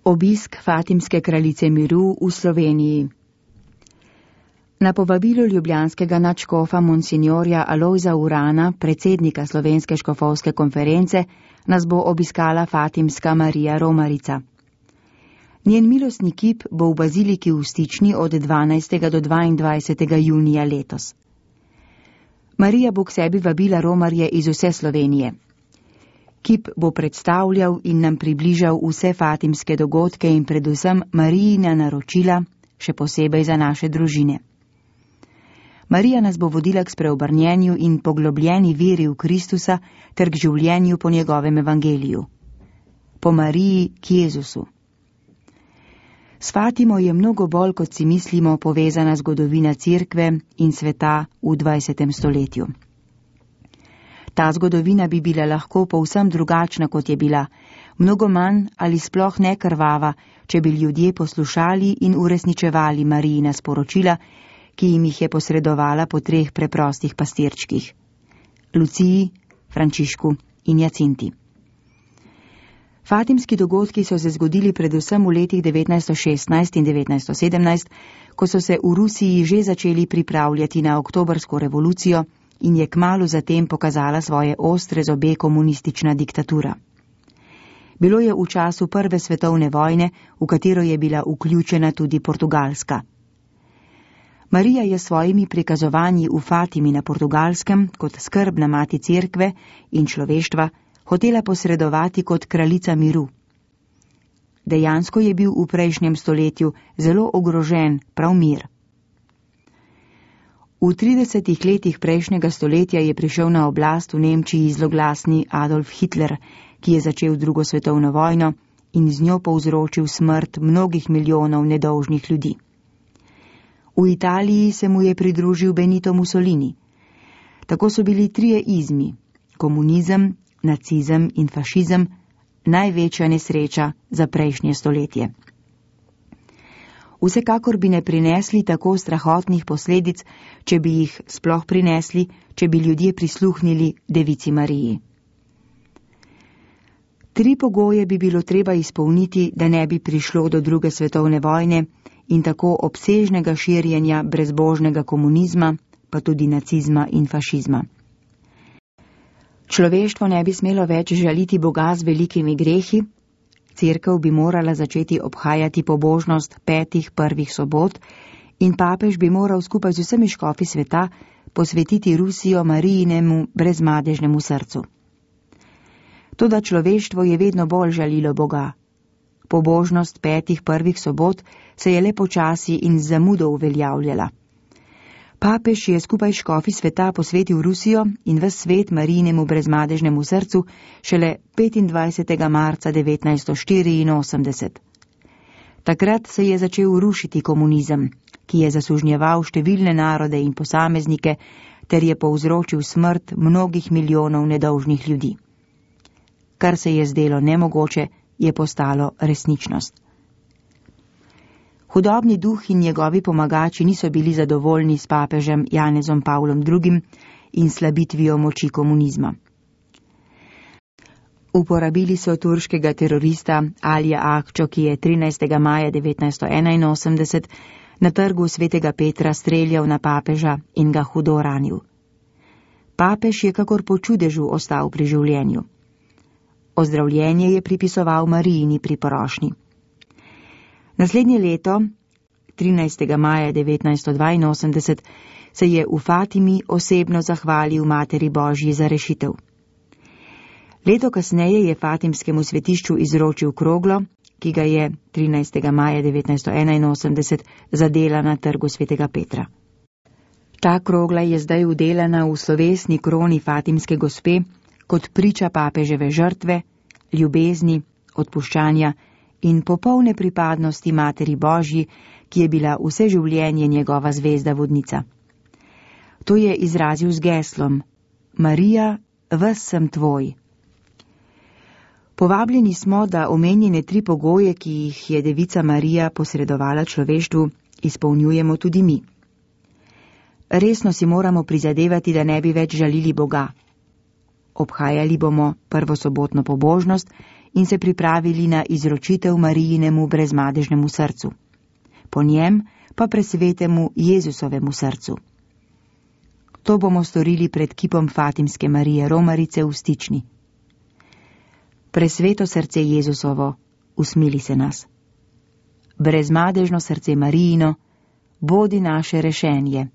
Obisk Fatimske kraljice miru v Sloveniji. Na povabilo ljubljanskega nadškofa monsinjorja Alojza Urana, predsednika Slovenske škofovske konference, nas bo obiskala Fatimska Marija Romarica. Njen milostni kip bo v baziliki v Stični od 12. do 22. junija letos. Marija bo k sebi vabila romarje iz vse Slovenije. Kip bo predstavljal in nam približal vse fatimske dogodke in predvsem Marijina naročila, še posebej za naše družine. Marija nas bo vodila k spreobrnjenju in poglobljeni veri v Kristusa ter k življenju po njegovem evangeliju. Po Mariji k Jezusu. S Fatimo je mnogo bolj, kot si mislimo, povezana zgodovina Cerkve in sveta v 20. stoletju. Ta zgodovina bi bila lahko povsem drugačna, kot je bila, mnogo manj ali sploh ne krvava, če bi ljudje poslušali in uresničevali Marijina sporočila, ki jim jih je posredovala po 3 preprostih pastirčkih: Luciji, Frančišku in Jacinti. Fatimski dogodki so se zgodili predvsem v letih 1916 in 1917, ko so se v Rusiji že začeli pripravljati na oktobrsko revolucijo in je kmalu zatem pokazala svoje ostre zobe komunistična diktatura. Bilo je v času Prve svetovne vojne, v katero je bila vključena tudi Portugalska. Marija je s svojimi prikazovanji v Fatimi na Portugalskem kot skrbna mati Cerkve in človeštva hotela posredovati kot kraljica miru. Dejansko je bil v prejšnjem stoletju zelo ogrožen prav mir. V 30 letih prejšnjega stoletja je prišel na oblast v Nemčiji zloglasni Adolf Hitler, ki je začel 2. svetovno vojno in z njo povzročil smrt mnogih milijonov nedolžnih ljudi. V Italiji se mu je pridružil Benito Mussolini. Tako so bili 3 izmi: komunizem, nacizem in fašizem, največja nesreča za prejšnje stoletje. Vsekakor bi ne prinesli tako strahotnih posledic, če bi jih sploh prinesli, če bi ljudje prisluhnili Devici Mariji. 3 pogoje bi bilo treba izpolniti, da ne bi prišlo do 2. svetovne vojne in tako obsežnega širjenja brezbožnega komunizma, pa tudi nacizma in fašizma. Človeštvo ne bi smelo več žaliti Boga z velikimi grehi, Cerkev bi morala začeti obhajati pobožnost 5 prvih sobot in papež bi moral skupaj z vsemi škofi sveta posvetiti Rusijo Marijinemu brezmadežnemu srcu. Toda človeštvo je vedno bolj žalilo Boga. Pobožnost 5 prvih sobot se je le počasi in z zamudo uveljavljala. Papež je skupaj škofi sveta posvetil Rusijo in ves svet Marijinemu brezmadežnemu srcu šele 25. marca 1984. Takrat se je začel rušiti komunizem, ki je zasužnjeval številne narode in posameznike ter je povzročil smrt mnogih milijonov nedolžnih ljudi. Kar se je zdelo nemogoče, je postalo resničnost. Hudobni duh in njegovi pomagači niso bili zadovoljni s papežem Janezom Pavlom II. In slabitvijo moči komunizma. Uporabili so turškega terorista Alija Akčo, ki je 13. maja 1981 na trgu Svetega Petra streljal na papeža in ga hudo ranil. Papež je kakor po čudežu ostal pri življenju. Ozdravljenje je pripisoval Marijini priporošnji. Naslednje leto, 13. maja 1982, se je v Fatimi osebno zahvalil Materi Božji za rešitev. Leto kasneje je Fatimskemu svetišču izročil kroglo, ki ga je 13. maja 1981 zadela na trgu Svetega Petra. Ta krogla je zdaj vdelana v slovesni kroni Fatimske gospe kot priča papeževe žrtve, ljubezni, odpuščanja in popolne pripadnosti Materi Božji, ki je bila vse življenje njegova zvezda vodnica. To je izrazil z geslom: Marija, ves sem tvoj. Povabljeni smo, da omenjene 3 pogoje, ki jih je Devica Marija posredovala človeštvu, izpolnjujemo tudi mi. Resno si moramo prizadevati, da ne bi več žalili Boga. Obhajali bomo prvosobotno pobožnost in se pripravili na izročitev Marijinemu brezmadežnemu srcu, po njem pa presvetemu Jezusovemu srcu. To bomo storili pred kipom Fatimske Marije Romarice v Stični. Presveto srce Jezusovo, usmili se nas. Brezmadežno srce Marijino, bodi naše rešenje.